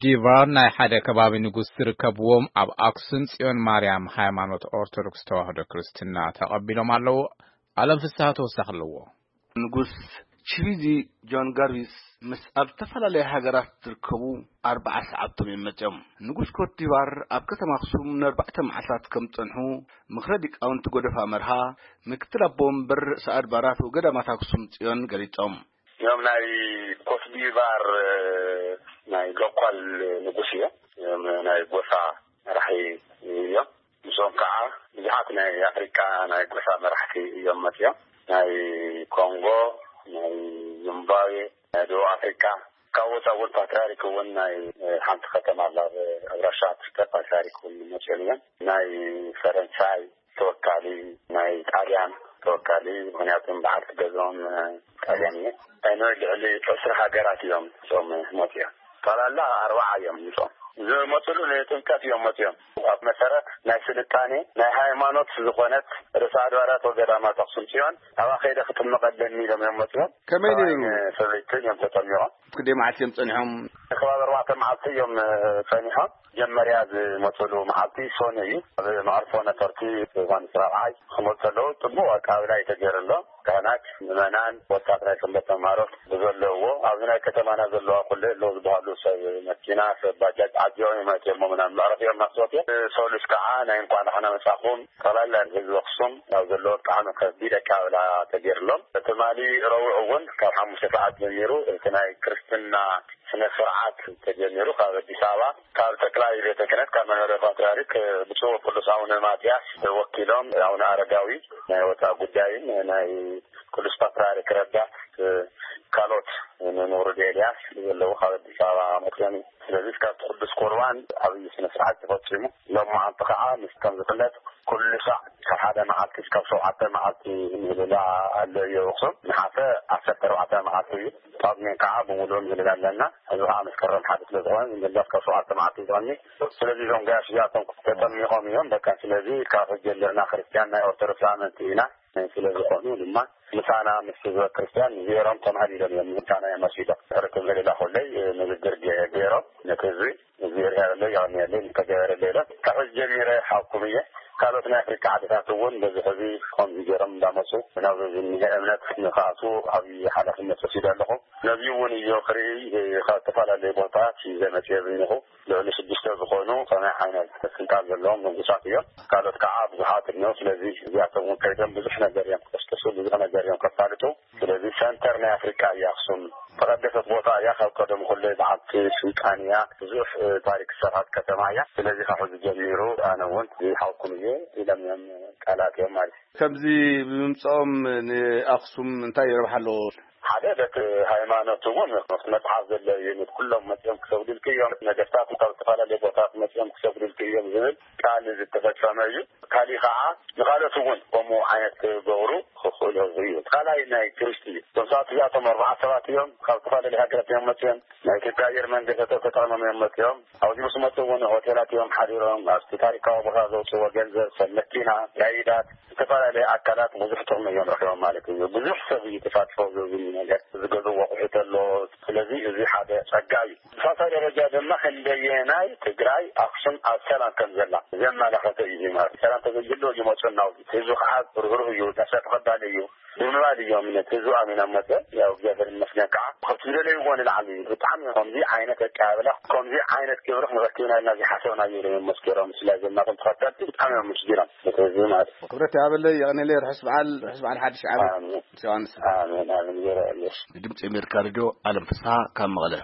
ዲቫር ናይ ሓደ ከባቢ ንጉስ ዝርከብዎም ኣብ ኣክሱም ጽዮን ማርያም ሃይማኖት ኦርቶዶክስ ተዋህዶ ክርስትና ተቐቢሎም ኣለዉ። ኣለም ፍስሃ ተወሳኺ ኣለዎ። ንጉስ ቺቪዚ ጆን ጋርቪስ ምስ ኣብ ዝተፈላለያ ሃገራት ዝርከቡ ኣርባዓ ሰዓብቶም እዮም መጺኦም። ንጉስ ኮትዲቫር ኣብ ከተማ ኣክሱም ንኣርባዕተ መዓልታት ከም ጸንሑ ምኽረ ሊቃውንቲ ጎደፋ መርሃ፣ ምክትል ኣቦ ወንበር ርእሰ ኣድባራት ወገዳማት ኣክሱም ጽዮን ገሊጾም። እዮም ናይ ኮትዲቫር ናይ ሎኳል ንጉስ እዮም። እዮም ናይ ጎሳ መራሒ እዮም። ምስኦም ከዓ ብዙሓት ናይ ኣፍሪካ ናይ ጎሳ መራሕቲ እዮም መፅኦም። ናይ ኮንጎ፣ ናይ ዚምባብዌ፣ ናይ ደቡብ ኣፍሪካ፣ ካብ ወፃ እውን ፓትርያርክ እውን ናይ ሓንቲ ከተማ ኣላ ኣብ ራሻ ትርከብ ፓትርያርክ እውን መፅኦም እዮም። ናይ ፈረንሳይ ተወካሊ፣ ናይ ጣልያን ተወካሊ፣ ምክንያቱ በዓልቲ ገዝኦም ጣልያን እየ። ናይ ልዕሊ ዕስራ ሃገራት እዮም እቶም መፅኦም። ጠቕላላ ኣርባዓ እዮም እቶም ዝመፅሉ ንጥምቀት እዮም መፅኦም። ኣብ መሰረት ናይ ስልጣኔ ናይ ሃይማኖት ዝኾነት ርእሰ ኣድባራት ወገዳማት ኣክሱም ፅዮን ኣብኣ ከይደ ክጥመቕ ኣለኒ ኢሎም እዮም መፅኦም። ከመይ ነይሩ? ሰበይትን እዮም ተጠሚቖም። ክንደይ መዓልቲ እዮም ፀኒሖም? ከባቢ ኣርባዕተ መዓልቲ እዮም ፀኒሖም። መጀመርያ ዝመፅሉ መዓልቲ ሶኒ እዩ። ኣብ መዕርፎ ነፈርቲ ዮሃንስ ራብዓይ ክመፁ ከለዉ ፅቡቅ ኣቀባብላ እዩ ተገይርሎም። ካህናት፣ ምእመናን፣ ወጣት ናይ ሰንበት ተምሃሮ ብዘለውዎ ኣብዚ ናይ ከተማና ዘለዋ ኩለ ኣለዉ ዝበሃሉ ሰብ መኪና፣ ሰብ ባጃጅ ዓዲዮም እዮም ኣትዮም ምናምን መዕረፊኦም እናስወት እዮም። ሶሉስ ከዓ ናይ እንኳዕ ደሓና መፃኹም ጠቕላላ ህዝቢ ኣክሱም ኣብ ዘለዎ ብጣዕሚ ከቢድ ኣቀባብላ ተገይርሎም። ትማሊ ረቡዕ እውን ካብ ሓሙሽተ ሰዓት ጀሚሩ እቲ ናይ ክርስትና ስነ ስርዓት ተጀሚሩ ካብ ኣዲስ ኣበባ ካብ ጠቅላይ ቤተ ክህነት ካብ መንበረ ፓትርያርክ ብፁዕ ቅዱስ ኣቡነ ማትያስ ወኪሎም ኣቡነ ኣረጋዊ ናይ ወፃኢ ጉዳይን ናይ ቅዱስ ፓትርያርክ ረዳት ካልኦት ንውሩድ ኤልያስ ዘለዉ ካብ ኣዲስ ኣበባ መፅኦም እዩ። ስለዚ እስካብ ቅዱስ ቁርባን ዓብዪ ስነ ስርዓት ተፈፂሙ። ሎማዓንቲ ከዓ ምስ ከም ዝፍለጥ ኩሉ ሳዕ ካብ ሓደ መዓልቲ እስካብ ሸውዓተ መዓልቲ ምህልላ ኣሎ እዩ ኣክሱም። ነሓሰ ዓሰርተ ኣርባዕተ መዓልቲ እዩ። ጳጉሜን ከዓ ብምሉእ ምህልላ ኣለና። እዚ ከዓ መስከረም ሓደ ስለ ዝኾነ ዝምለስ ካብ ሸውዓተ መዓልቲ ዝቐኒ። ስለዚ እዞም ገያሽ እዚኣቶም ተጠሚቖም እዮም። በቃ ስለዚ ካብ ሕጂ ጀሚርና ክርስትያን ናይ ኦርቶዶክስ ኣመንቲ ኢና። ስለ ዝኾኑ ድማ ምሳና ምስ ህዝበ ክርስትያን ጌሮም ተማህሊሎም እዮም ምሳና እዮም መሲሎም። ርክብ ምህልላ ኮለይ ንግግር ገ- ገይሮም ነቲ ህዝቢ እዚ ርያ ኣሎ ያው ያለ ተገበረ ሌለ ካብ ሕጂ ጀሚረ ሓኩም እየ። ካልኦት ናይ ኣፍሪካ ዓድታት እውን በዚ ሕዚ ከምዚ ገይሮም እንዳመፁ ናብዚ ዝኒሀ እምነት ንክኣቱ ዓብዪ ሓላፍነት ወሲደ ኣለኹ። ነዚ እውን እዮ ክርኢ ካብ ዝተፈላለዩ ቦታታት ዘመፅየ ዝኒኹ ልዕሊ ሽዱሽተ ዝኾኑ ከመይ ዓይነት ስልጣን ዘለዎም ንጉሳት እዮም። ካልኦት ከዓ ብዙሓት እኒኦ። ስለዚ እዚኣቶም እውን ከይዶም ብዙሕ ነገር እዮም ክቀስቅሱ፣ ብዙሕ ነገር እዮም ከፋልጡ። ስለዚ ሰንተር ናይ ኣፍሪካ እያ ኣክሱም። ተቐደሰት ቦታ እያ። ካብ ቀደም ኩለ በዓልቲ ስልጣን እያ። ብዙሕ ታሪክ ዝሰርሓት ከተማ እያ። ስለዚ ካብ ሕዚ ጀሚሩ ኣነ እውን ዝሓውኩም እየ ኢሎም እዮም ቃላት እዮም ማለት እዩ። ከምዚ ብምምፅኦም ንኣክሱም እንታይ ረብሓ ኣለዎ? ሓደ በቲ ሃይማኖት እውን መፅሓፍ ዘሎ እዩ። ኩሎም መፅኦም ክሰግዱልክ እዮም፣ ነገስታት ካብ ዝተፈላለዩ ቦታት መፅኦም ክሰግዱልክ እዮም ዝብል ቃል ዝተፈፀመ እዩ። ካሊእ ከዓ ንካልኦት እውን ከምኡ ዓይነት ክገብሩ ክኽእሉ እዩ። ካልኣይ ናይ ቱሪስት እዩ። እቶም ሰባት እዚኣቶም ኣርባዓ ሰባት እዮም፣ ካብ ዝተፈላለዩ ሃገራት እዮም መፅኦም። ናይ ኢትዮጵያ ኣየር መንገዲ ተጠቅሞም እዮም መፅኦም። ኣብዚ ምስ መፁ እውን ሆቴላት እዮም ሓዲሮም። ኣብቲ ታሪካዊ ቦታ ዘውፅዎ ገንዘብ፣ ሰብ መኪና፣ ጋይዳት፣ ዝተፈላለዩ ኣካላት ብዙሕ ጥቕሚ እዮም ረኪቦም ማለት እዩ። ብዙሕ ሰብ እዩ ተሳትፎ ዝብል ነገር ዝገዝእ ወቑሑ ተሎ። ስለዚ እዚ ሓደ ፀጋ እዩ። ብሳልሳይ ደረጃ ድማ ክንደየናይ ትግራይ ኣክሱም ኣብ ሰላም ከም ዘላ ዘመላኸተ እዩ ማለት። ሰላም ተዘይህሉ ይመፁ እናው ህዝቢ ከዓ ርህሩህ እዩ፣ ዳሳ ተቐባሊ እዩ ብምባል እዮም ነቲ ህዝቢ ኣሚኖም መፀ። ያው እግዚኣብሔር ይመስገን ከዓ ካብቲ ዝደለይዎ ንላዕሊ እዩ። ብጣዕሚ ከምዚ ዓይነት ኣቀባብላ ከምዚ ዓይነት ክብሪ ክንረክብና ኢልና ዘይሓሰብና እዩ መስገሮም። ስለዚ ናቶም ተኸተልቲ ብጣዕሚ እዮም ምስጊኖም ነቲ ህዝቢ ማለት እዩ። ክብረት ያበለይ የቐኔለይ። ርሑስ በዓል ርሑስ በዓል ሓድሽ ዓመት። ኣሜን። ዮሃንስ። ኣሜን ኣሜን። ገረ ኣለሽ። ንድምፂ ኣሜሪካ ሬድዮ ኣለም ፍስሓ ካብ መቐለ።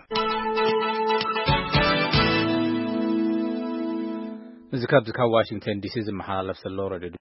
እዚ ካብዚ ካብ ዋሽንግተን ዲሲ ዝመሓላለፍ ዘሎ ሬድዮ